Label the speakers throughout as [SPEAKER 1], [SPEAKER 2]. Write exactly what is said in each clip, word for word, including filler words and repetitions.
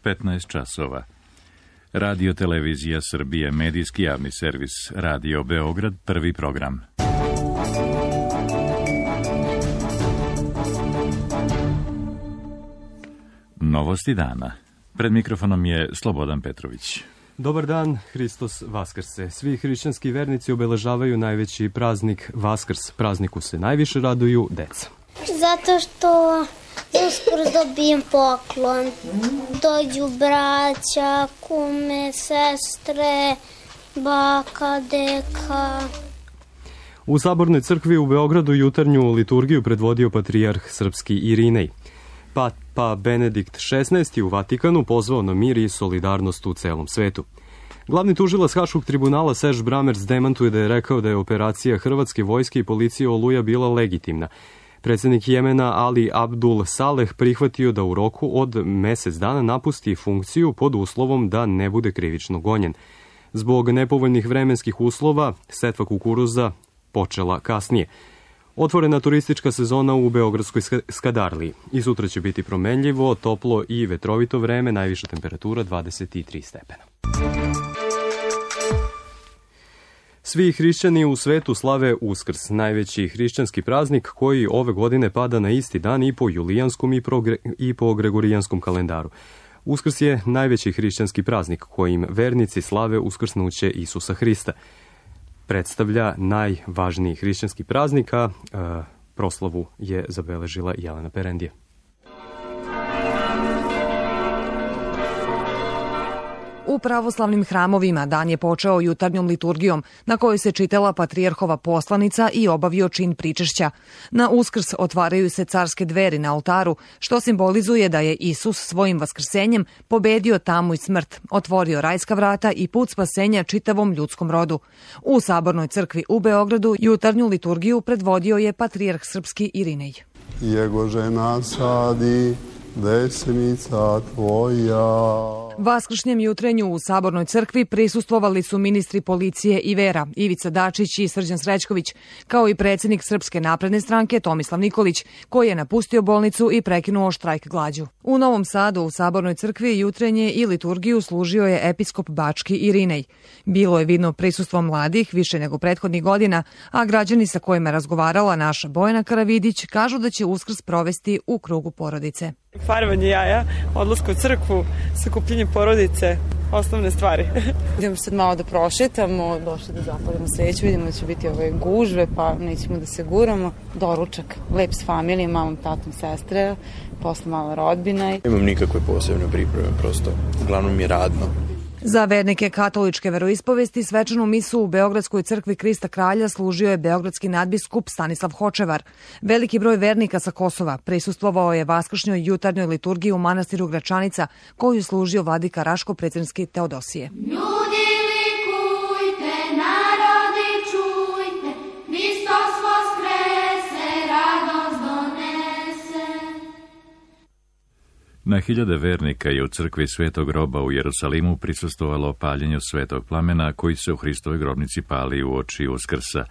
[SPEAKER 1] petnaest časova. Radio Televizija Srbije, medijski javni servis, Radio Beograd, prvi program. Novosti dana. Pred mikrofonom je Slobodan Petrović.
[SPEAKER 2] Dobar dan, Hristos Vaskrse. Svi hrišćanski vernici obeležavaju najveći praznik Vaskrs. Prazniku se najviše raduju deca.
[SPEAKER 3] Zato što uskoro dobijem poklon. Dođu braća, kume, sestre, baka, deka.
[SPEAKER 2] U Sabornoj crkvi u Beogradu jutarnju liturgiju predvodio patrijarh srpski Irinej. Papa Benedikt šesnaesti u Vatikanu pozvao na mir i solidarnost u celom svetu. Glavni tužilac Haškog tribunala Serž Bramers demantuje da je rekao da je operacija hrvatske vojske i policije Oluja bila legitimna. Predsjednik Jemena Ali Abdul Saleh prihvatio da u roku od mesec dana napusti funkciju pod uslovom da ne bude krivično gonjen. Zbog nepovoljnih vremenskih uslova, setva kukuruza počela kasnije. Otvorena turistička sezona u Beogradskoj Skadarliji. I sutra će biti promenljivo, toplo i vetrovito vreme, najviša temperatura dvadeset tri stepena. Svi hrišćani u svetu slave Uskrs, najveći hrišćanski praznik koji ove godine pada na isti dan i po julijanskom i, progre, i po gregorijanskom kalendaru. Uskrs je najveći hrišćanski praznik kojim vernici slave uskrsnuće Isusa Hrista. Predstavlja najvažniji hrišćanski praznik, a e, proslavu je zabeležila Jelena Perendija.
[SPEAKER 4] U pravoslavnim hramovima dan je počeo jutarnjom liturgijom, na kojoj se čitala patrijarhova poslanica i obavio čin pričešća. Na Uskrs otvaraju se carske dveri na oltaru, što simbolizuje da je Isus svojim vaskrsenjem pobedio tamu i smrt, otvorio rajska vrata i put spasenja čitavom ljudskom rodu. U Sabornoj crkvi u Beogradu jutarnju liturgiju predvodio je patrijarh srpski Irinej.
[SPEAKER 5] Jego žena sadi desnica tvoja.
[SPEAKER 4] Vaskršnjem jutrenju u Sabornoj crkvi prisustvovali su ministri policije i vera Ivica Dačić i Srđan Srećković, kao i predsjednik Srpske napredne stranke Tomislav Nikolić, koji je napustio bolnicu i prekinuo štrajk glađu. U Novom Sadu u Sabornoj crkvi jutrenje i liturgiju služio je episkop Bački Irinej. Bilo je vidno prisustvo mladih više nego prethodnih godina, a građani sa kojima je razgovarala naša Bojana Karavidić kažu da će Uskrs provesti u krugu porodice.
[SPEAKER 6] Farbanje jaja, odlaska u crkvu, sakupljenje porodice, osnovne stvari.
[SPEAKER 7] Idemo sad malo da prošetamo, došli da zapalimo sveću, vidimo da će biti ove gužve, pa nećemo da se guramo. Doručak, lep s familijom, malom tatom, sestre, posle mala rodbina.
[SPEAKER 8] Nemam nikakve posebne pripreme, prosto, uglavnom je radno.
[SPEAKER 4] Za vernike katoličke veroispovesti svečanu misu u Beogradskoj crkvi Krista Kralja služio je beogradski nadbiskup Stanislav Hočevar. Veliki broj vernika sa Kosova prisustvovao je vaskršnjoj jutarnjoj liturgiji u manastiru Gračanica, koju služio vladika Raško-Predsjednički Teodosije.
[SPEAKER 9] Ljudi likujte, narodi čujte, Hristos vaskrese, radost donese.
[SPEAKER 1] Na hiljade vernika je u crkvi Svetog Groba u Jerusalimu prisustvovalo paljenju svetog plamena koji se u Hristovoj grobnici pali u oči Uskrsa.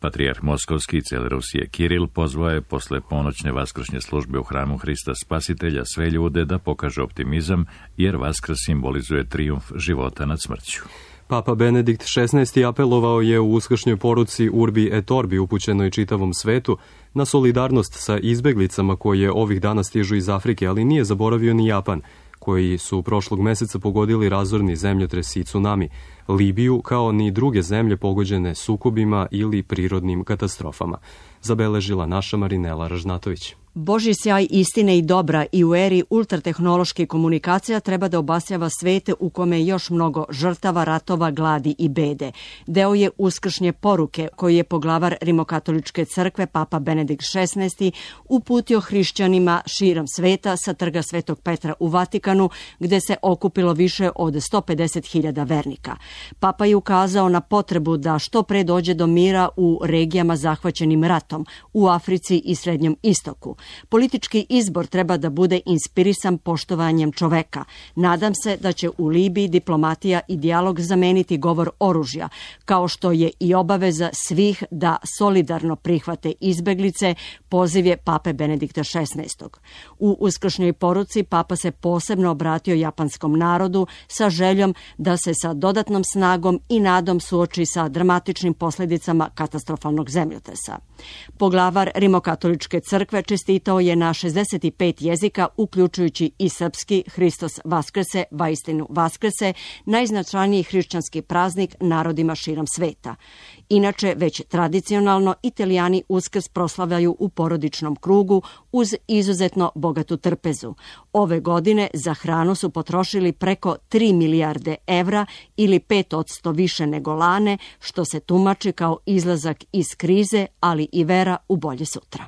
[SPEAKER 1] Patrijarh Moskovski i cele Rusije Kiril pozvao je posle ponoćne vaskršnje službe u hramu Hrista Spasitelja sve ljude da pokažu optimizam, jer Vaskrs simbolizuje trijumf života nad smrću.
[SPEAKER 2] Papa Benedikt šesnaesti apelovao je u uskršnjoj poruci Urbi et Orbi upućenoj čitavom svetu na solidarnost sa izbeglicama koje ovih dana stižu iz Afrike, ali nije zaboravio ni Japan, koji su prošlog meseca pogodili razorni zemljotres i tsunami, Libiju, kao ni druge zemlje pogođene sukobima ili prirodnim katastrofama, zabeležila naša Marinela Ražnatović.
[SPEAKER 10] Božji sjaj istine i dobra i u eri ultratehnološke komunikacija treba da obasjava svete u kome je još mnogo žrtava, ratova, gladi i bede. Deo je uskršnje poruke koju je poglavar Rimokatoličke crkve Papa Benedikt šesnaesti uputio hrišćanima širom sveta sa trga Svetog Petra u Vatikanu, gde se okupilo više od sto pedeset hiljada vernika. Papa je ukazao na potrebu da što pre dođe do mira u regijama zahvaćenim ratom, u Africi i Srednjem istoku. Politički izbor treba da bude inspirisan poštovanjem čoveka. Nadam se da će u Libiji diplomatija i dijalog zameniti govor oružja, kao što je i obaveza svih da solidarno prihvate izbeglice, poziv je Pape Benedikta šesnaestog. U uskršnjoj poruci Papa se posebno obratio japanskom narodu sa željom da se sa dodatnom snagom i nadom suoči sa dramatičnim posljedicama katastrofalnog zemljotresa. Poglavar Rimokatoličke crkve čestitao je na šezdeset pet jezika, uključujući i srpski Hristos Vaskrese, vaistinu Vaskrese, najznačajniji hrišćanski praznik narodima širom sveta. Inače, već tradicionalno Italijani Uskrs proslavljaju u porodičnom krugu uz izuzetno bogatu trpezu. Ove godine za hranu su potrošili preko tri milijarde evra ili pet odsto više nego lane, što se tumači kao izlazak iz krize, ali i vera u bolje sutra.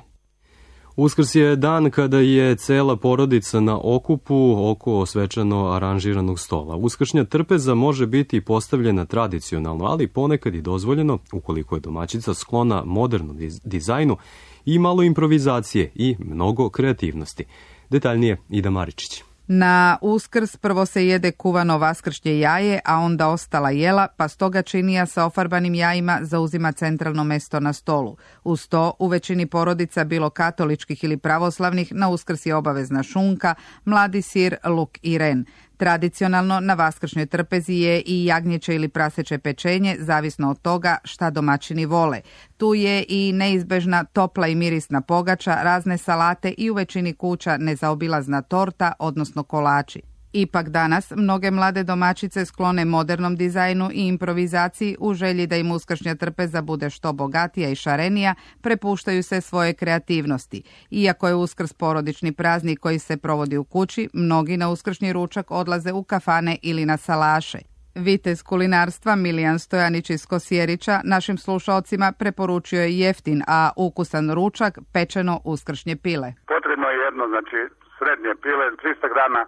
[SPEAKER 2] Uskrs je dan kada je cela porodica na okupu oko svečano aranžiranog stola. Uskršnja trpeza može biti postavljena tradicionalno, ali ponekad i dozvoljeno, ukoliko je domaćica sklona modernom dizajnu, i malo improvizacije i mnogo kreativnosti. Detaljnije Ida Maričić.
[SPEAKER 11] Na Uskrs prvo se jede kuvano vaskršnje jaje, a onda ostala jela, pa stoga činija sa ofarbanim jajima zauzima centralno mesto na stolu. Uz to, u većini porodica, bilo katoličkih ili pravoslavnih, na Uskrs je obavezna šunka, mladi sir, luk i ren. Tradicionalno na vaskršnjoj trpezi je i jagnjeće ili praseće pečenje, zavisno od toga šta domaćini vole. Tu je i neizbežna topla i mirisna pogača, razne salate i u većini kuća nezaobilazna torta, odnosno kolači. Ipak danas mnoge mlade domaćice sklone modernom dizajnu i improvizaciji u želji da im uskršnja trpeza bude što bogatija i šarenija, prepuštaju se svoje kreativnosti. Iako je Uskrs porodični praznik koji se provodi u kući, mnogi na uskršnji ručak odlaze u kafane ili na salaše. Vitez kulinarstva Milijan Stojanić iz Kosjerića našim slušalcima preporučio je jeftin, a ukusan ručak, pečeno uskršnje pile.
[SPEAKER 12] Potrebno je jedno, znači srednje pile, tristo grama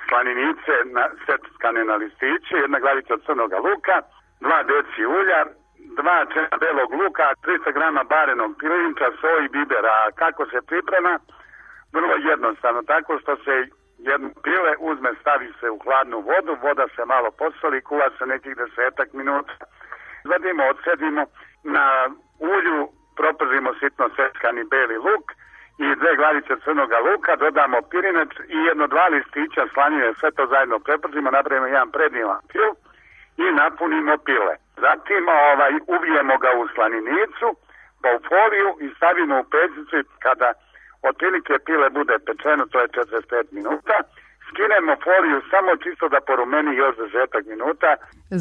[SPEAKER 12] slaninice na, seckane na listiće, jedna glavica crnoga luka, dva deci ulja, dva čena belog luka, tristo grama barenog pilinča, soj i bibera. A kako se priprema? Vrlo jednostavno, tako što se jedno pile uzme, stavi se u hladnu vodu, voda se malo posoli, kuva se nekih desetak minuta. Zadimo, odsedimo, na ulju propržimo sitno seckani beli luk i dve glavice crnoga luka, dodamo pirinač i jedno dva listića slanine, sve to zajedno prepržimo, napravimo jedan prednjivan pil i napunimo pile. Zatim ovaj, uvijemo ga u slaninicu, pa u foliju i stavimo u pećnicu. Kada otprilike pile bude pečeno, to je četrdeset pet minuta, skinemo foliju samo čisto da porumeni još desetak minuta.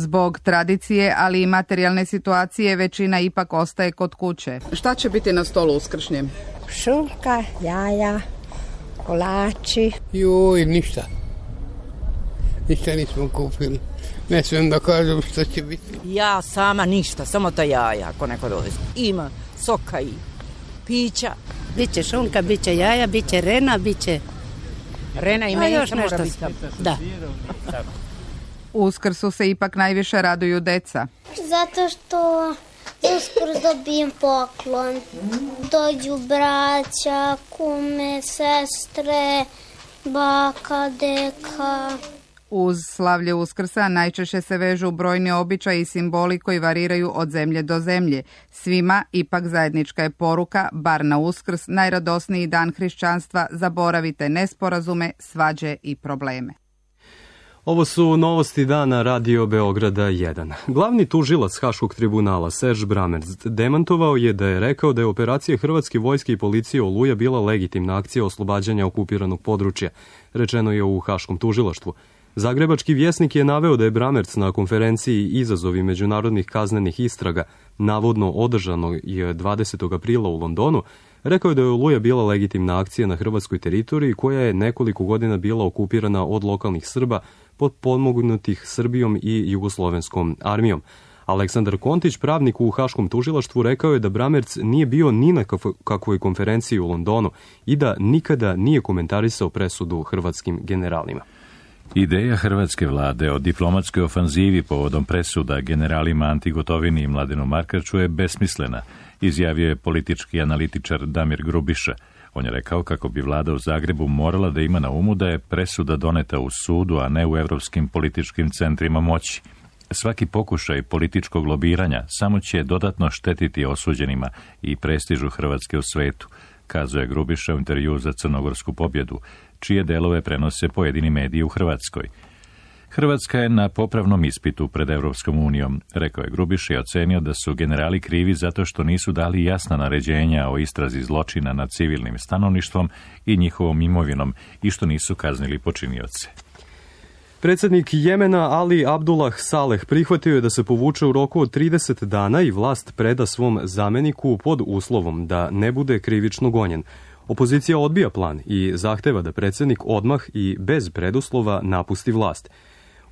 [SPEAKER 11] Zbog tradicije, ali i materijalne situacije, većina ipak ostaje kod kuće. Šta će biti na stolu uskršnjem?
[SPEAKER 13] Šunka, jaja, kolači.
[SPEAKER 14] Joj, ništa. Ništa nismo kupili. Ne smijem da kažem što će biti.
[SPEAKER 15] Ja sama ništa, samo ta jaja, ako neko dovezi. Ima soka i pića.
[SPEAKER 13] Biće šunka, biće jaja, biće rena, biće...
[SPEAKER 15] Rena i menica mora biti.
[SPEAKER 13] Da.
[SPEAKER 11] Uskrsu se ipak najviše raduju deca.
[SPEAKER 3] Zato što uskrs dobijem poklon. Dođu braća, kume, sestre, baka, deka.
[SPEAKER 11] Uz slavlje Uskrsa najčešće se vežu brojni običaji i simboli koji variraju od zemlje do zemlje. Svima ipak zajednička je poruka, bar na Uskrs, najradosniji dan hrišćanstva, zaboravite nesporazume, svađe i probleme.
[SPEAKER 2] Ovo su novosti dana Radio Beograda jedan. Glavni tužilac Haškog tribunala Serž Bramerc demantovao je da je rekao da je operacija Hrvatske vojske i policije Oluja bila legitimna akcija oslobađanja okupiranog područja, rečeno je u Haškom tužilaštvu. Zagrebački vjesnik je naveo da je Bramerc na konferenciji Izazovi međunarodnih kaznenih istraga, navodno održano je dvadesetog aprila u Londonu, rekao je da je Oluja bila legitimna akcija na hrvatskoj teritoriji koja je nekoliko godina bila okupirana od lokalnih Srba potpomognutih Srbijom i jugoslovenskom armijom. Aleksandar Kontić, pravnik u Haškom tužilaštvu, rekao je da Bramerc nije bio ni na kakvoj konferenciji u Londonu i da nikada nije komentarisao presudu hrvatskim generalima.
[SPEAKER 1] Ideja hrvatske vlade o diplomatskoj ofanzivi povodom presuda generalima Anti Gotovini i Mladenu Markaču je besmislena, izjavio je politički analitičar Damir Grubiša. On je rekao kako bi vlada u Zagrebu morala da ima na umu da je presuda doneta u sudu, a ne u evropskim političkim centrima moći. Svaki pokušaj političkog lobiranja samo će dodatno štetiti osuđenima i prestižu Hrvatske u svetu, kazuje Grubiša u intervju za Crnogorsku pobjedu, čije delove prenose pojedini mediji u Hrvatskoj. Hrvatska je na popravnom ispitu pred Evropskom unijom, rekao je Grubiša i ocenio da su generali krivi zato što nisu dali jasna naređenja o istrazi zločina nad civilnim stanovništvom i njihovom imovinom i što nisu kaznili počinioce.
[SPEAKER 2] Predsjednik Jemena Ali Abdullah Saleh prihvatio je da se povuče u roku od trideset dana i vlast preda svom zameniku pod uslovom da ne bude krivično gonjen. Opozicija odbija plan i zahteva da predsjednik odmah i bez preduslova napusti vlast.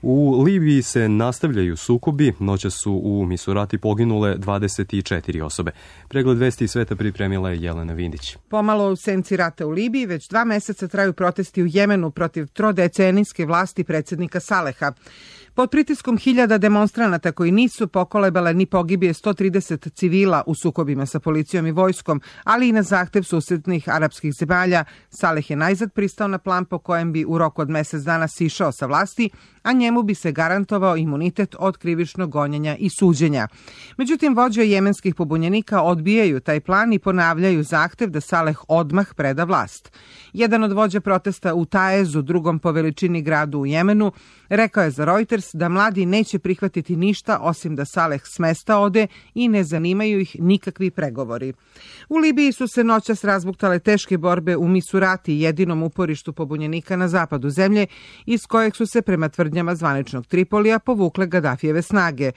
[SPEAKER 2] U Libiji se nastavljaju sukobi, noćas su u Misurati poginule dvadeset četiri osobe. Pregled vesti i sveta pripremila je Jelena Vindić.
[SPEAKER 11] Pomalo u senci rata u Libiji, već dva meseca traju protesti u Jemenu protiv trodecenijske vlasti predsjednika Saleha. Pod pritiskom hiljada demonstranata koji nisu pokolebale ni pogibije sto trideset civila u sukobima sa policijom i vojskom, ali i na zahtev susjednih arapskih zemalja, Saleh je najzad pristao na plan po kojem bi u roku od mjesec dana sišao sa vlasti, a njemu bi se garantovao imunitet od krivičnog gonjenja i suđenja. Međutim, vođe jemenskih pobunjenika odbijaju taj plan i ponavljaju zahtev da Saleh odmah preda vlast. Jedan od vođa protesta u Taezu, drugom po veličini gradu u Jemenu, rekao je za Reuters da mladi neće prihvatiti ništa osim da Saleh s mesta ode i ne zanimaju ih nikakvi pregovori. U Libiji su se noćas razbuktale teške borbe u Misurati, jedinom uporištu pobunjenika na zapadu zemlje, iz kojeg su se prema tvrdnjama zvaničnog Tripolija povukle Gadafijeve snage.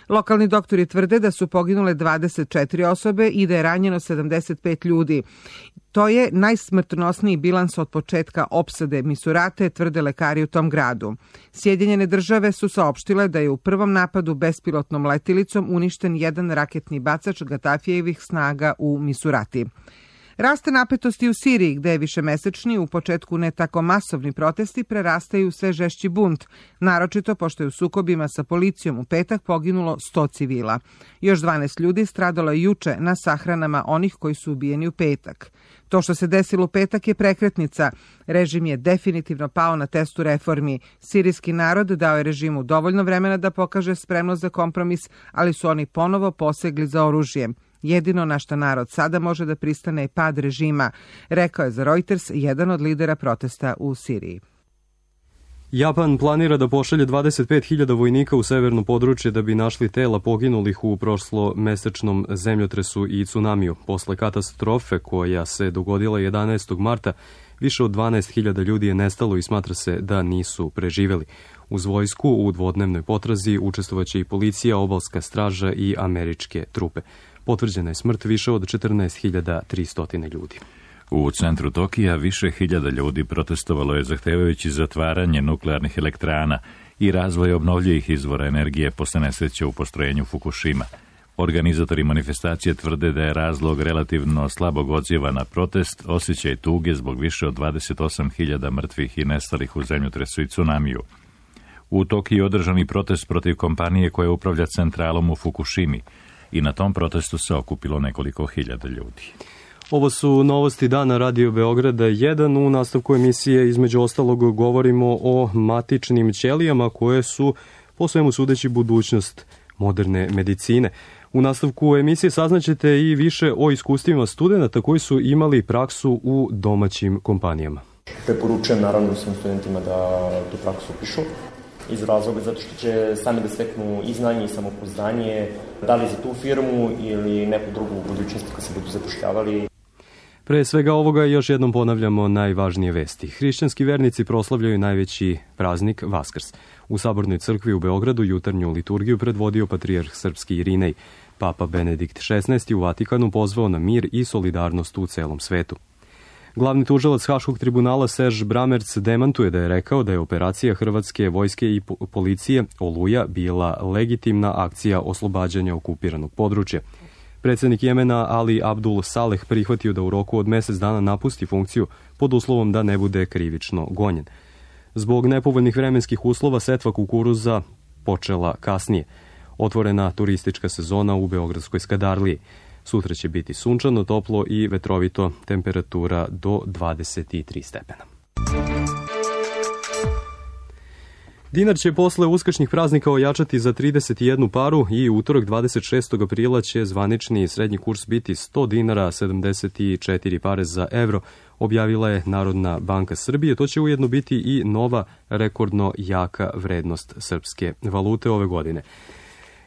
[SPEAKER 11] Lokalni doktori tvrde da su poginule dvadeset četiri osobe i da je ranjeno sedamdeset pet ljudi. To je najsmrtonosniji bilans od početka opsade Misurate, tvrde lekari u tom gradu. Sjedinjene države su saopštile da je u prvom napadu bespilotnom letilicom uništen jedan raketni bacač Gadafijevih snaga u Misurati. Raste napetosti u Siriji, gde je višemesečni, u početku ne tako masovni protesti prerastaju u sve žešći bunt, naročito pošto je u sukobima sa policijom u petak poginulo sto civila. Još dvanaest ljudi stradalo je juče na sahranama onih koji su ubijeni u petak. To što se desilo u petak je prekretnica. Režim je definitivno pao na testu reformi. Sirijski narod dao je režimu dovoljno vremena da pokaže spremnost za kompromis, ali su oni ponovo posegli za oružjem. Jedino na što narod sada može da pristane je pad režima, rekao je za Reuters jedan od lidera protesta u Siriji.
[SPEAKER 2] Japan planira da pošalje dvadeset pet hiljada vojnika u severno područje da bi našli tela poginulih u prošlomesečnom zemljotresu i tsunamiju. Posle katastrofe koja se dogodila jedanaestog marta, više od dvanaest hiljada ljudi je nestalo i smatra se da nisu preživeli. Uz vojsku u dvodnevnoj potrazi učestvovaće i policija, obalska straža i američke trupe. Potvrđena je smrt više od četrnaest hiljada tristo ljudi.
[SPEAKER 1] U centru Tokija više hiljada ljudi protestovalo je zahtevajući zatvaranje nuklearnih elektrana i razvoj obnovljivih izvora energije posle nesreće u postrojenju Fukushima. Organizatori manifestacije tvrde da je razlog relativno slabog odziva na protest osjećaj tuge zbog više od dvadeset osam hiljada mrtvih i nestalih u zemljotresu i tsunamiju. U Tokiju održani protest protiv kompanije koja upravlja centralom u Fukushimi i na tom protestu se okupilo nekoliko hiljada ljudi.
[SPEAKER 2] Ovo su novosti dana Radio Beograda jedan. U nastavku emisije između ostalog govorimo o matičnim ćelijama koje su po svemu sudeći budućnost moderne medicine. U nastavku emisije saznaćete i više o iskustvima studenta koji su imali praksu u domaćim kompanijama.
[SPEAKER 16] Preporučujem naravno svim studentima da tu praksu upišu iz razloga zato što će sami da steknu i znanje i samopouzdanje, da li za tu firmu ili neku drugu u budućnosti kad se budu zapošljavali.
[SPEAKER 2] Pre svega ovoga još jednom ponavljamo najvažnije vesti. Hrišćanski vernici proslavljaju najveći praznik Vaskrs. U Sabornoj crkvi u Beogradu jutarnju liturgiju predvodio patrijarh srpski Irinej. Papa Benedikt šesnaesti u Vatikanu pozvao na mir i solidarnost u celom svetu. Glavni tužilac Haškog tribunala Serž Bramerc demantuje da je rekao da je operacija Hrvatske vojske i policije Oluja bila legitimna akcija oslobađanja okupiranog područja. Predsjednik Jemena Ali Abdul Saleh prihvatio da u roku od mjesec dana napusti funkciju pod uslovom da ne bude krivično gonjen. Zbog nepovoljnih vremenskih uslova setva kukuruza počela kasnije. Otvorena turistička sezona u Beogradskoj Skadarliji. Sutra će biti sunčano, toplo i vetrovito, temperatura do dvadeset tri stepena. Dinar će posle uskršnjih praznika ojačati za trideset jednu paru i utorak dvadeset šestog aprila će zvanični srednji kurs biti sto dinara sedamdeset četiri pare za evro, objavila je Narodna banka Srbije. To će ujedno biti i nova rekordno jaka vrednost srpske valute ove godine.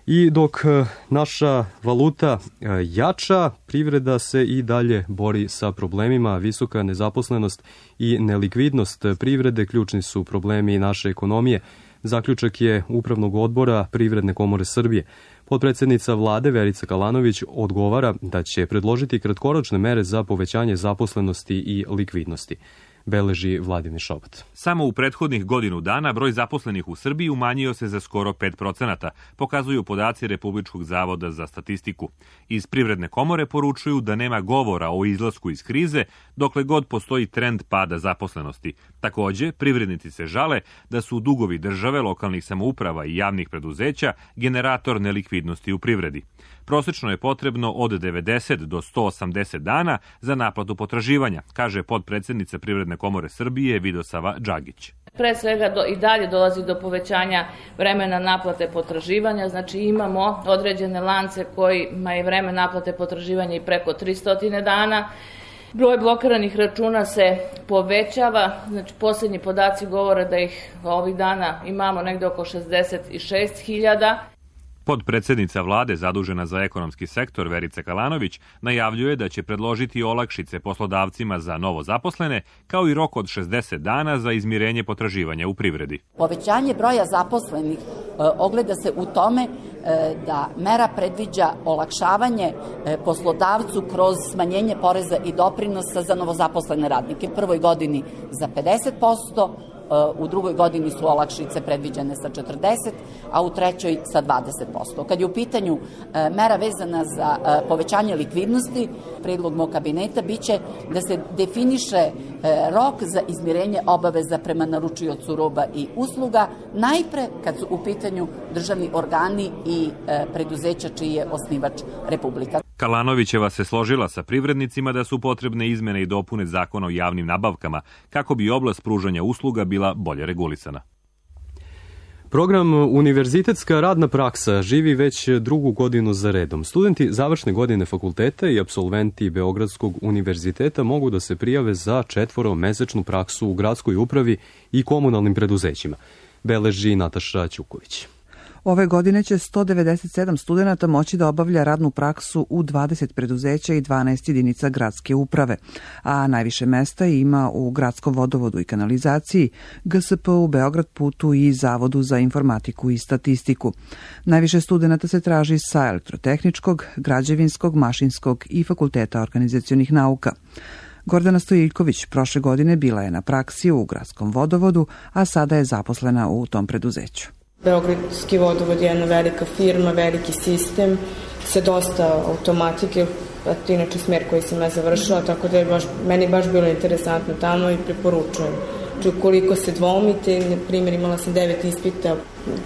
[SPEAKER 2] I dok naša valuta jača, privreda se i dalje bori sa problemima. Visoka nezaposlenost i nelikvidnost privrede ključni su problemi naše ekonomije. Zaključak je Upravnog odbora Privredne komore Srbije. Potpredsednica vlade Verica Kalanović odgovara da će predložiti kratkoročne mere za povećanje zaposlenosti i likvidnosti. Beleži Vladimir Šobat.
[SPEAKER 17] Samo u prethodnih godinu dana broj zaposlenih u Srbiji umanjio se za skoro pet procenata, pokazuju podaci Republičkog zavoda za statistiku. Iz Privredne komore poručuju da nema govora o izlasku iz krize dokle god postoji trend pada zaposlenosti. Takođe, privrednici se žale da su dugovi države, lokalnih samouprava i javnih preduzeća generator nelikvidnosti u privredi. Prosečno je potrebno od devedeset do sto osamdeset dana za naplatu potraživanja, kaže potpredsednica Privredne komore Srbije Vidosava Džagić.
[SPEAKER 18] Pre svega do, i dalje dolazi do povećanja vremena naplate potraživanja, znači imamo određene lance kojima je vreme naplate potraživanja i preko tristo dana. Broj blokiranih računa se povećava, znači posljednji podaci govore da ih ovih dana imamo negde oko šezdeset šest hiljada.
[SPEAKER 17] Podpredsednica vlade zadužena za ekonomski sektor Verica Kalanović najavljuje da će predložiti olakšice poslodavcima za novo zaposlene, kao i rok od šezdeset dana za izmirenje potraživanja u privredi.
[SPEAKER 19] Povećanje broja zaposlenih e, ogleda se u tome e, da mera predviđa olakšavanje e, poslodavcu kroz smanjenje poreza i doprinosa za novozaposlene radnike. U prvoj godini za pedeset posto, u drugoj godini su olakšice predviđene sa četrdeset, a u trećoj sa dvadeset posto. Kad je u pitanju mera vezana za povećanje likvidnosti, predlog mog kabineta biće da se definiše rok za izmirenje obaveza prema naručiocu roba i usluga, najpre kad su u pitanju državni organi i preduzeća čiji je osnivač Republika.
[SPEAKER 17] Kalanovićeva se složila sa privrednicima da su potrebne izmene i dopune zakona o javnim nabavkama kako bi oblast pružanja usluga bila bolje regulisana.
[SPEAKER 2] Program Univerzitetska radna praksa živi već drugu godinu za redom. Studenti završne godine fakulteta i apsolventi Beogradskog univerziteta mogu da se prijave za četvoromesečnu praksu u gradskoj upravi i komunalnim preduzećima, beleži Nataša Ćuković.
[SPEAKER 11] Ove godine će sto devedeset sedam studenata moći da obavlja radnu praksu u dvadeset preduzeća i dvanaest jedinica gradske uprave, a najviše mesta ima u Gradskom vodovodu i kanalizaciji, G S P U Beograd putu i Zavodu za informatiku i statistiku. Najviše studenata se traži sa elektrotehničkog, građevinskog, mašinskog i fakulteta organizacionih nauka. Gordana Stojiljković prošle godine bila je na praksi u Gradskom vodovodu, a sada je zaposlena u tom preduzeću.
[SPEAKER 20] Beogradski vodovod je jedna velika firma, veliki sistem sa dosta automatike, a to je inače smer koji sam ja završila, tako da je baš, meni baš bilo interesantno tamo i preporučujem. Znači, ukoliko se dvomite, na primjer imala sam devet ispita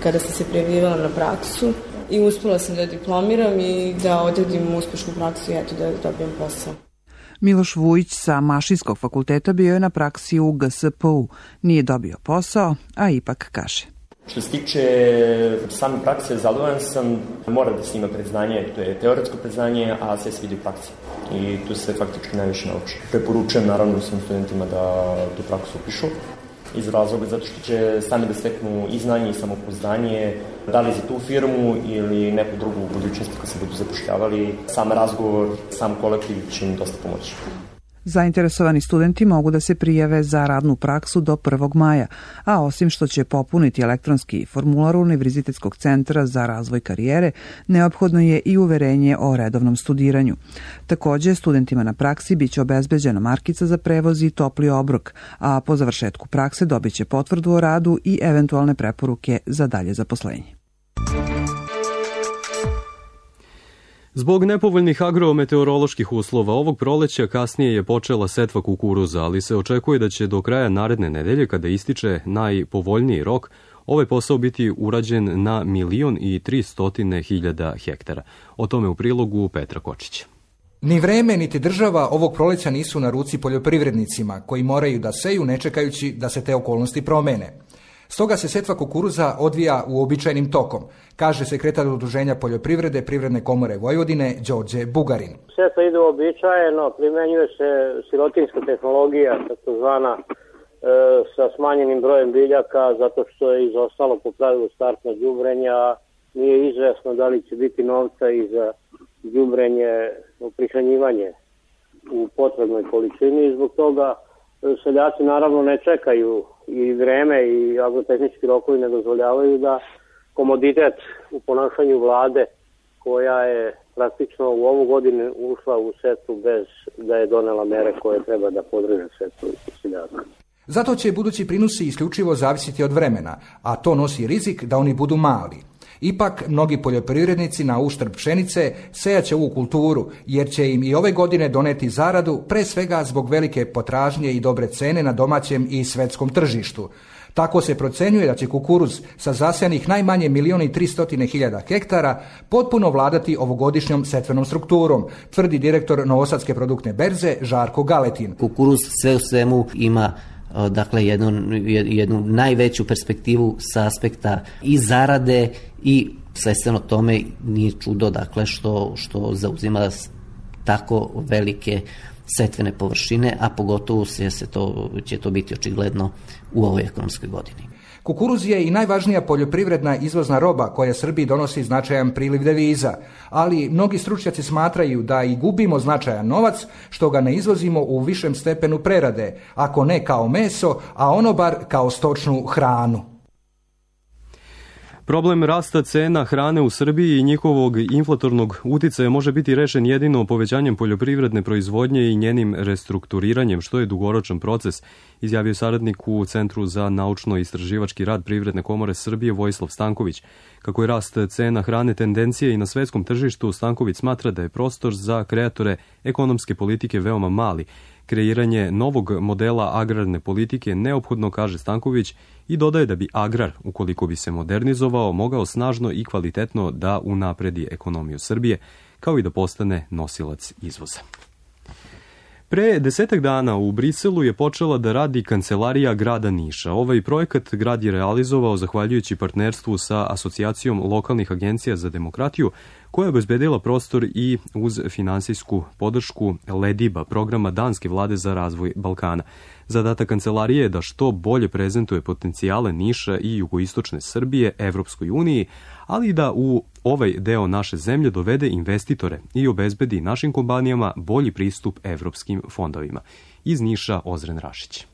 [SPEAKER 20] kada sam se prijavljivala na praksu i uspela sam da diplomiram i da odradim uspešnu praksu i eto da dobijem posao.
[SPEAKER 11] Miloš Vujić sa Mašinskog fakulteta bio je na praksi u G S P U. Nije dobio posao, a ipak kaže.
[SPEAKER 16] Što se tiče same prakse, zadovoljan sam, mora da se ima predznanje, to je teoretsko predznanje, a sve se vidi u praksi. I tu se faktički najviše nauči. Preporučujem naravno svim studentima da tu praksu upišu, iz razloga zato što će sami da steknu i znanje i samopouzdanje, da li za tu firmu ili neku drugu u budućnosti kad se budu zapošljavali. Sam razgovor, sam kolektiv će im dosta pomoći.
[SPEAKER 11] Zainteresovani studenti mogu da se prijave za radnu praksu do prvog maja, a osim što će popuniti elektronski formular Univerzitetskog centra za razvoj karijere, neophodno je i uverenje o redovnom studiranju. Takođe, studentima na praksi biće obezbeđena markica za prevoz i topli obrok, a po završetku prakse dobit će potvrdu o radu i eventualne preporuke za dalje zaposlenje.
[SPEAKER 2] Zbog nepovoljnih agrometeoroloških uslova ovog proleća kasnije je počela setva kukuruza, ali se očekuje da će do kraja naredne nedelje, kada ističe najpovoljniji rok, ovaj posao biti urađen na milion i tri stotine hiljada hektara. O tome u prilogu Petra Kočića.
[SPEAKER 21] Ni vreme, niti država ovog proleća nisu na ruci poljoprivrednicima, koji moraju da seju ne čekajući da se te okolnosti promene. Stoga se setva kukuruza odvija uobičajenim tokom, kaže sekretar Udruženja poljoprivrede Privredne komore Vojvodine Đorđe Bugarin.
[SPEAKER 22] Setva ide uobičajeno, primenjuje se sirotinska tehnologija, takozvana e, sa smanjenim brojem biljaka, zato što je izostalo po pravilu startna đubrenja, nije izvesno da li će biti novca i za đubrenje, prihranjivanje u potrebnoj količini i zbog toga seljaci naravno ne čekaju i vreme i agrotehnički rokovi ne dozvoljavaju da komoditet u ponašanju vlade, koja je praktično u ovu godinu ušla u setvu bez da je donela mere koje treba da podrže setvu seljaka.
[SPEAKER 21] Zato će budući prinosi isključivo zavisiti od vremena, a to nosi rizik da oni budu mali. Ipak, mnogi poljoprivrednici na uštrb pšenice sejaće ovu kulturu, jer će im i ove godine doneti zaradu, pre svega zbog velike potražnje i dobre cene na domaćem i svetskom tržištu. Tako se procenjuje da će kukuruz sa zasejanih najmanje milion i tri stotine hiljada hektara potpuno vladati ovogodišnjom setvenom strukturom, tvrdi direktor Novosadske produktne berze Žarko Galetin.
[SPEAKER 23] Kukuruz sve u svemu ima dakle jednu, jednu najveću perspektivu sa aspekta i zarade i svestveno tome nije čudo dakle što, što zauzima tako velike setvene površine, a pogotovo se, se to, će to biti očigledno u ovoj ekonomskoj godini.
[SPEAKER 21] Kukuruz je i najvažnija poljoprivredna izvozna roba koja Srbiji donosi značajan priliv deviza, ali mnogi stručnjaci smatraju da i gubimo značajan novac što ga ne izvozimo u višem stepenu prerade, ako ne kao meso, a ono bar kao stočnu hranu.
[SPEAKER 2] Problem rasta cena hrane u Srbiji i njihovog inflatornog uticaja može biti rešen jedino povećanjem poljoprivredne proizvodnje i njenim restrukturiranjem, što je dugoročan proces, izjavio saradnik u Centru za naučno-istraživački rad Privredne komore Srbije Vojislav Stanković. Kako je rast cena hrane tendencije i na svetskom tržištu, Stanković smatra da je prostor za kreatore ekonomske politike veoma mali. Kreiranje novog modela agrarne politike neophodno, kaže Stanković, i dodaje da bi agrar, ukoliko bi se modernizovao, mogao snažno i kvalitetno da unapredi ekonomiju Srbije, kao i da postane nosilac izvoza. Pre desetak dana u Briselu je počela da radi Kancelarija grada Niša. Ovaj projekat grad je realizovao zahvaljujući partnerstvu sa Asocijacijom lokalnih agencija za demokratiju, koja je obezbedila prostor i uz finansijsku podršku Lediba, programa danske vlade za razvoj Balkana. Zadatak kancelarije je da što bolje prezentuje potencijale Niša i jugoistočne Srbije Evropskoj uniji, ali i da u ovaj deo naše zemlje dovede investitore i obezbedi našim kompanijama bolji pristup evropskim fondovima. Iz Niša Ozren Rašić.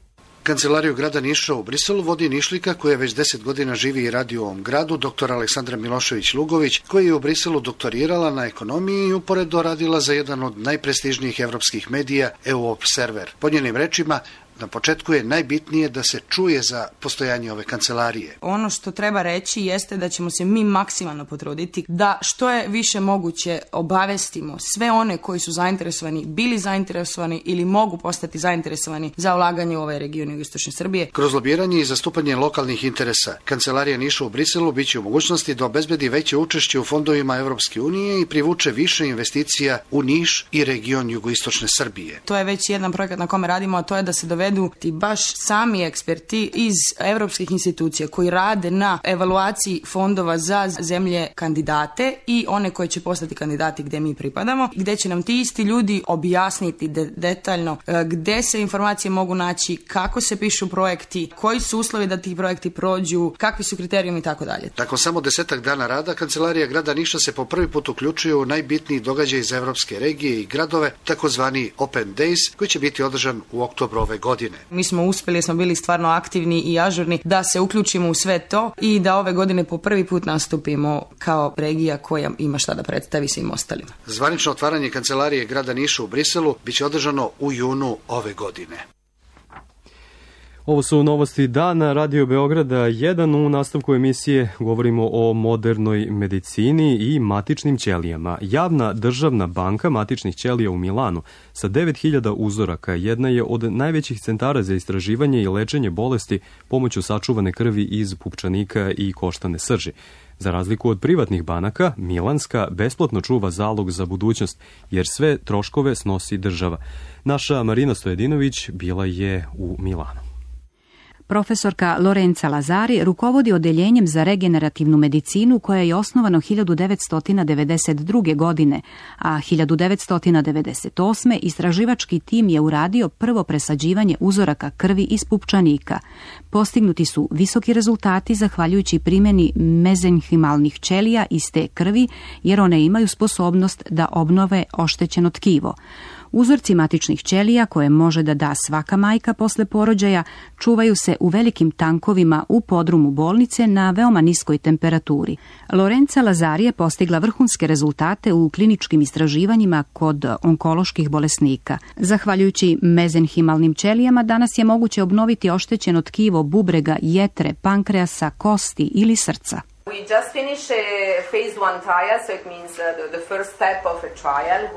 [SPEAKER 24] Kancelariju grada Niša u Briselu vodi Nišlika koja već deset godina živi i radi u ovom gradu, doktor Aleksandra Milošević-Lugović, koja je u Briselu doktorirala na ekonomiji i uporedo radila za jedan od najprestižnijih evropskih medija E U Observer. Po njenim rečima, na početku je najbitnije da se čuje za postojanje ove kancelarije.
[SPEAKER 25] Ono što treba reći jeste da ćemo se mi maksimalno potruditi da što je više moguće obavestimo sve one koji su zainteresovani, bili zainteresovani ili mogu postati zainteresovani za ulaganje u ovaj region jugoistočne Srbije.
[SPEAKER 24] Kroz lobiranje i zastupanje lokalnih interesa, Kancelarija Niša u Briselu biće u mogućnosti da obezbedi veće učešće u fondovima Evropske unije i privuče više investicija u Niš i region jugoistočne Srbije.
[SPEAKER 25] To je već jedan projekat na kome radimo, a to je da se dovede ti baš sami eksperti iz evropskih institucija koji rade na evaluaciji fondova za zemlje kandidate i one koje će postati kandidati gde mi pripadamo, gde će nam ti isti ljudi objasniti de- detaljno gde se informacije mogu naći, kako se pišu projekti, koji su uslovi da ti projekti prođu, kakvi su kriterijumi i tako dalje.
[SPEAKER 24] Nakon samo desetak dana rada, Kancelarija grada Niša se po prvi put uključuje u najbitniji događaj iz evropske regije i gradove, takozvani Open Days, koji će biti održan u oktobru ove godine.
[SPEAKER 25] Mi smo uspeli, smo bili stvarno aktivni i ažurni da se uključimo u sve to i da ove godine po prvi put nastupimo kao regija koja ima šta da predstavi svim ostalima.
[SPEAKER 24] Zvanično otvaranje Kancelarije grada Niša u Briselu biće održano u junu ove godine.
[SPEAKER 2] Ovo su novosti dana Radio Beograda jedan. U nastavku emisije govorimo o modernoj medicini i matičnim ćelijama. Javna državna banka matičnih ćelija u Milanu sa devet hiljada uzoraka jedna je od najvećih centara za istraživanje i lečenje bolesti pomoću sačuvane krvi iz pupčanika i koštane srži. Za razliku od privatnih banaka, Milanska besplatno čuva zalog za budućnost, jer sve troškove snosi država. Naša Marina Stojedinović bila je u Milanu.
[SPEAKER 4] Profesorka Lorenza Lazari rukovodi odeljenjem za regenerativnu medicinu koja je osnovano hiljadu devetsto devedeset druge. godine, a hiljadu devetsto devedeset osme. istraživački tim je uradio prvo presađivanje uzoraka krvi iz pupčanika. Postignuti su visoki rezultati zahvaljujući primjeni mezenhimalnih ćelija iz te krvi, jer one imaju sposobnost da obnove oštećeno tkivo. Uzorci matičnih ćelija, koje može da da svaka majka posle porođaja, čuvaju se u velikim tankovima u podrumu bolnice na veoma niskoj temperaturi. Lorenza Lazari je postigla vrhunske rezultate u kliničkim istraživanjima kod onkoloških bolesnika. Zahvaljujući mezenhimalnim ćelijama danas je moguće obnoviti oštećeno tkivo bubrega, jetre, pankreasa, kosti ili srca.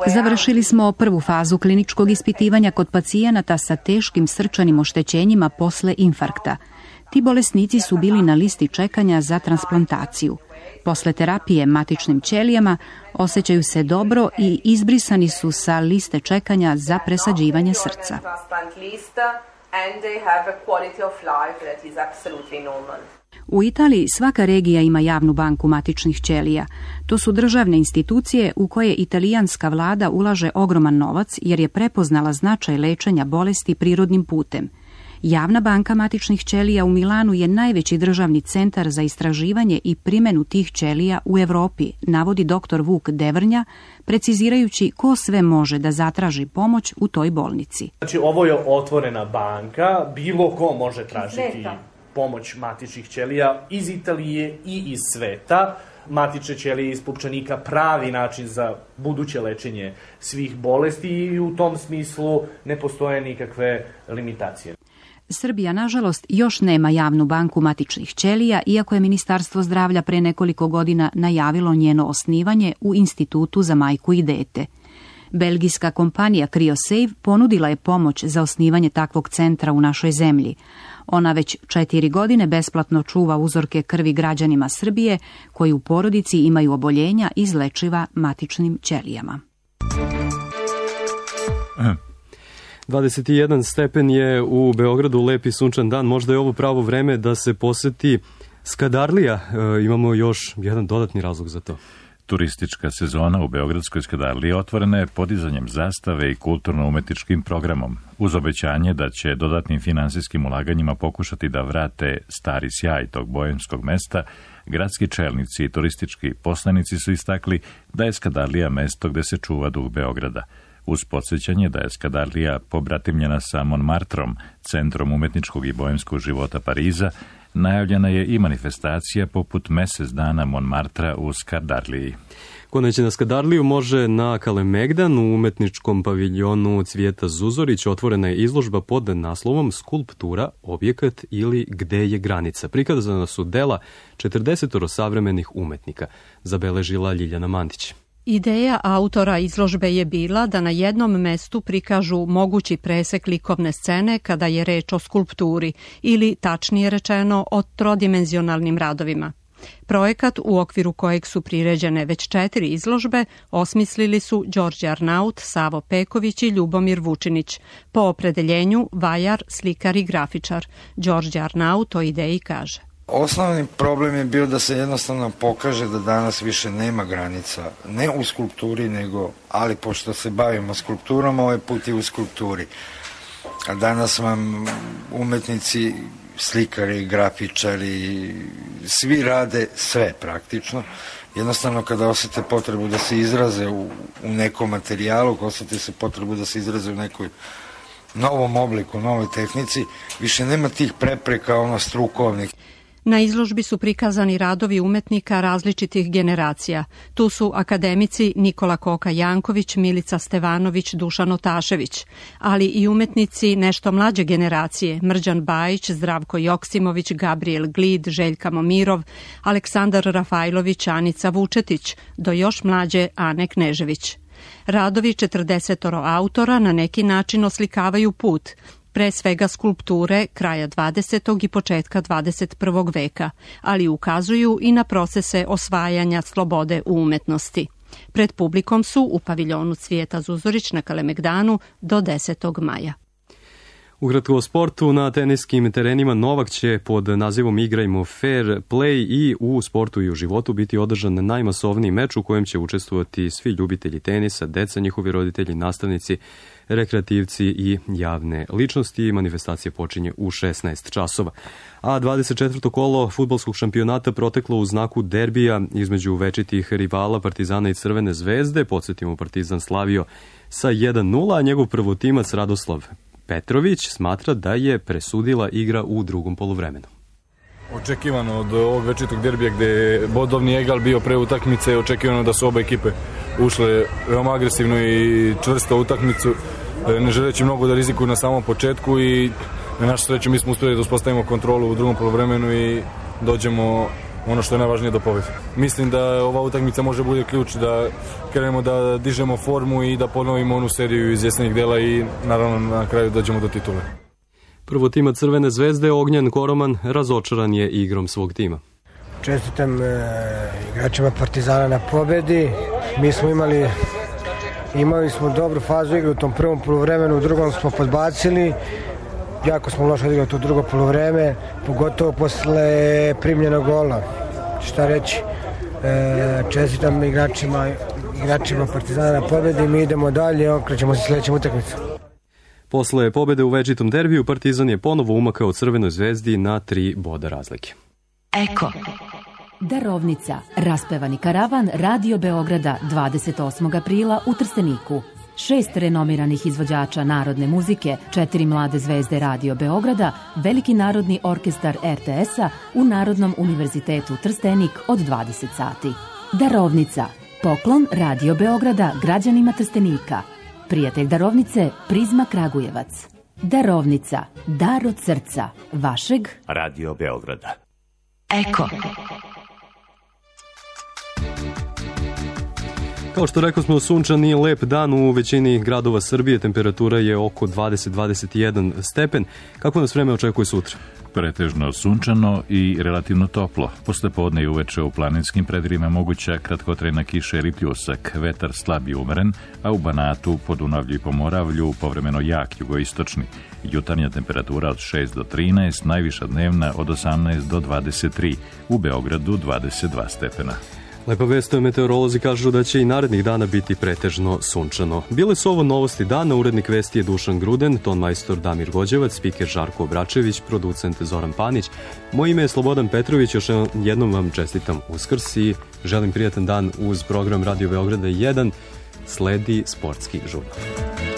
[SPEAKER 4] Završili smo prvu fazu kliničkog ispitivanja kod pacijenata sa teškim srčanim oštećenjima posle infarkta. Ti bolesnici su bili na listi čekanja za transplantaciju. Posle terapije matičnim ćelijama osjećaju se dobro i izbrisani su sa liste čekanja za presađivanje srca. U Italiji svaka regija ima javnu banku matičnih ćelija. To su državne institucije u koje italijanska vlada ulaže ogroman novac jer je prepoznala značaj lečenja bolesti prirodnim putem. Javna banka matičnih ćelija u Milanu je najveći državni centar za istraživanje i primjenu tih ćelija u Evropi, navodi doktor Vuk Devrnja, precizirajući ko sve može da zatraži pomoć u toj bolnici.
[SPEAKER 5] Znači, ovo je otvorena banka, bilo ko može tražiti Sveta. pomoć matičnih ćelija iz Italije i iz sveta. Matične ćelije iz pupčanika pravi način za buduće lečenje svih bolesti i u tom smislu ne postoje nikakve limitacije.
[SPEAKER 4] Srbija, nažalost, još nema javnu banku matičnih ćelija, iako je Ministarstvo zdravlja pre nekoliko godina najavilo njeno osnivanje u Institutu za majku i dete. Belgijska kompanija CryoSave ponudila je pomoć za osnivanje takvog centra u našoj zemlji. Ona već četiri godine besplatno čuva uzorke krvi građanima Srbije koji u porodici imaju oboljenja izlečiva matičnim ćelijama.
[SPEAKER 2] dvadeset jedan stepen je u Beogradu, lepi sunčan dan. Možda je ovo pravo vreme da se poseti Skadarlija. E, imamo još jedan dodatni razlog za to.
[SPEAKER 1] Turistička sezona u Beogradskoj Skadarliji otvorena je podizanjem zastave i kulturno-umetničkim programom, uz obećanje da će dodatnim finansijskim ulaganjima pokušati da vrate stari sjaj tog boemskog mesta. Gradski čelnici i turistički poslanici su istakli da je Skadarlija mesto gde se čuva duh Beograda. Uz podsjećanje da je Skadarlija pobratimljena sa Montmartrom, centrom umetničkog i boemskog života Pariza, najavljena je i manifestacija poput mesec dana Montmartra u Skadarliji.
[SPEAKER 2] Ko neće na Skadarliju može na Kalemegdan u umetničkom paviljonu Cvijeta Zuzorić. Otvorena je izložba pod naslovom Skulptura, objekat ili gde je granica. Prikazana su dela četrdeset savremenih umetnika, zabeležila Ljiljana Mandić.
[SPEAKER 6] Ideja autora izložbe je bila da na jednom mestu prikažu mogući presek likovne scene kada je reč o skulpturi ili, tačnije rečeno, o trodimenzionalnim radovima. Projekat, u okviru kojeg su priređene već četiri izložbe, osmislili su Đorđe Arnaut, Savo Peković i Ljubomir Vučinić. Po opredeljenju vajar, slikar i grafičar. Đorđe Arnaut o ideji kaže:
[SPEAKER 7] Osnovni problem je bio da se jednostavno pokaže da danas više nema granica, ne u skulpturi, nego, ali pošto se bavimo skulpturom, ovaj put je u skulpturi. A danas vam umetnici, slikari, grafičari, svi rade sve praktično. Jednostavno kada osjete potrebu da se izraze u, u nekom materijalu, kada osjete se potrebu da se izraze u nekoj novom obliku, novoj tehnici, više nema tih prepreka, ono strukovnih.
[SPEAKER 6] Na izložbi su prikazani radovi umetnika različitih generacija. Tu su akademici Nikola Koka-Janković, Milica Stevanović, Dušan Otašević, ali i umetnici nešto mlađe generacije, Mrđan Bajić, Zdravko Joksimović, Gabriel Glid, Željka Momirov, Aleksandar Rafajlović, Anica Vučetić, do još mlađe Ane Knežević. Radovi četrdesetoro autora na neki način oslikavaju put, pre svega skulpture kraja dvadesetog i početka dvadeset prvog veka, ali ukazuju i na procese osvajanja slobode u umetnosti. Pred publikom su u paviljonu Cvijeta Zuzorić na Kalemegdanu do desetog maja.
[SPEAKER 2] Ukratko o sportu, na teniskim terenima Novak će pod nazivom Igrajmo fair play i u sportu i u životu biti održan najmasovniji meč u kojem će učestvovati svi ljubitelji tenisa, deca, njihovi roditelji, nastavnici, rekreativci i javne ličnosti. Manifestacija počinje u šesnaest časova. A dvadeset četvrto kolo fudbalskog šampionata proteklo u znaku derbija između večitih rivala Partizana i Crvene zvezde. Podsjetimo, Partizan slavio sa jedan nula, a njegov prvotimac Radoslav Petrović smatra da je presudila igra u drugom poluvremenu.
[SPEAKER 8] Očekivano od ovog večitog derbija gde je bodovni egal bio pre utakmice, očekivano da su oba ekipe ušle veoma agresivno i čvrsto u utakmicu, ne želeći mnogo da rizikuju na samom početku i na našu sreću mi smo uspjeli da uspostavimo kontrolu u drugom poluvremenu i dođemo ono što je najvažnije do pobjede. Mislim da ova utakmica može bude ključ da krenemo da dižemo formu i da ponovimo onu seriju iz jesenjih dela i naravno na kraju dođemo do titule.
[SPEAKER 2] Prvotimac Crvene zvezde Ognjan Koroman razočaran je igrom svog tima.
[SPEAKER 9] Čestitam e, igračima Partizana na pobedi. Mi smo imali imali smo dobru fazu igre u tom prvom poluvremenu, u drugom smo podbacili. Jako smo loše odigrali to drugo poluvreme, pogotovo posle primljenog gola. Šta reći, e, čestitam igračima, igračima Partizana na pobedi, mi idemo dalje, okrećemo se sljedećem utakmicu.
[SPEAKER 2] Posle pobede u večitom derbiju, Partizan je ponovo umakao Crvenoj zvezdi na tri boda razlike.
[SPEAKER 10] Eko. Darovnica. Raspevani karavan Radio Beograda dvadeset osmog aprila u Trsteniku. Šest renomiranih izvođača narodne muzike, četiri mlade zvezde Radio Beograda, Veliki narodni orkestar er te es-a u Narodnom univerzitetu Trstenik od dvadeset sati. Darovnica. Poklon Radio Beograda građanima Trstenika. Prijatelj darovnice Prizma Kragujevac. Darovnica. Dar od srca. Vašeg
[SPEAKER 12] Radio Beograda.
[SPEAKER 10] Eko.
[SPEAKER 2] Kao što rekao smo, sunčan i lep dan u većini gradova Srbije, temperatura je oko dvadeset do dvadeset jedan stepen. Kako nas vreme očekuje sutra?
[SPEAKER 1] Pretežno sunčano i relativno toplo. Posle podne i uveče u planinskim predjelima moguća kratkotrajna kiša ili pljusak, vetar slab i umeren, a u Banatu, Podunavlju i Pomoravlju povremeno jak jugoistočni. Jutarnja temperatura od šest do trinaest, najviša dnevna od osamnaest do dvadeset tri, u Beogradu dvadeset dva stepena.
[SPEAKER 2] Lepa vest, meteorolozi kažu da će i narednih dana biti pretežno sunčano. Bile su ovo novosti dana, urednik vesti je Dušan Gruden, ton majstor Damir Gođevac, spiker Žarko Obračević, producent Zoran Panić. Moje ime je Slobodan Petrović, još jednom vam čestitam Uskrs i želim prijatan dan uz program Radio Beograda jedan, sledi sportski žurnal.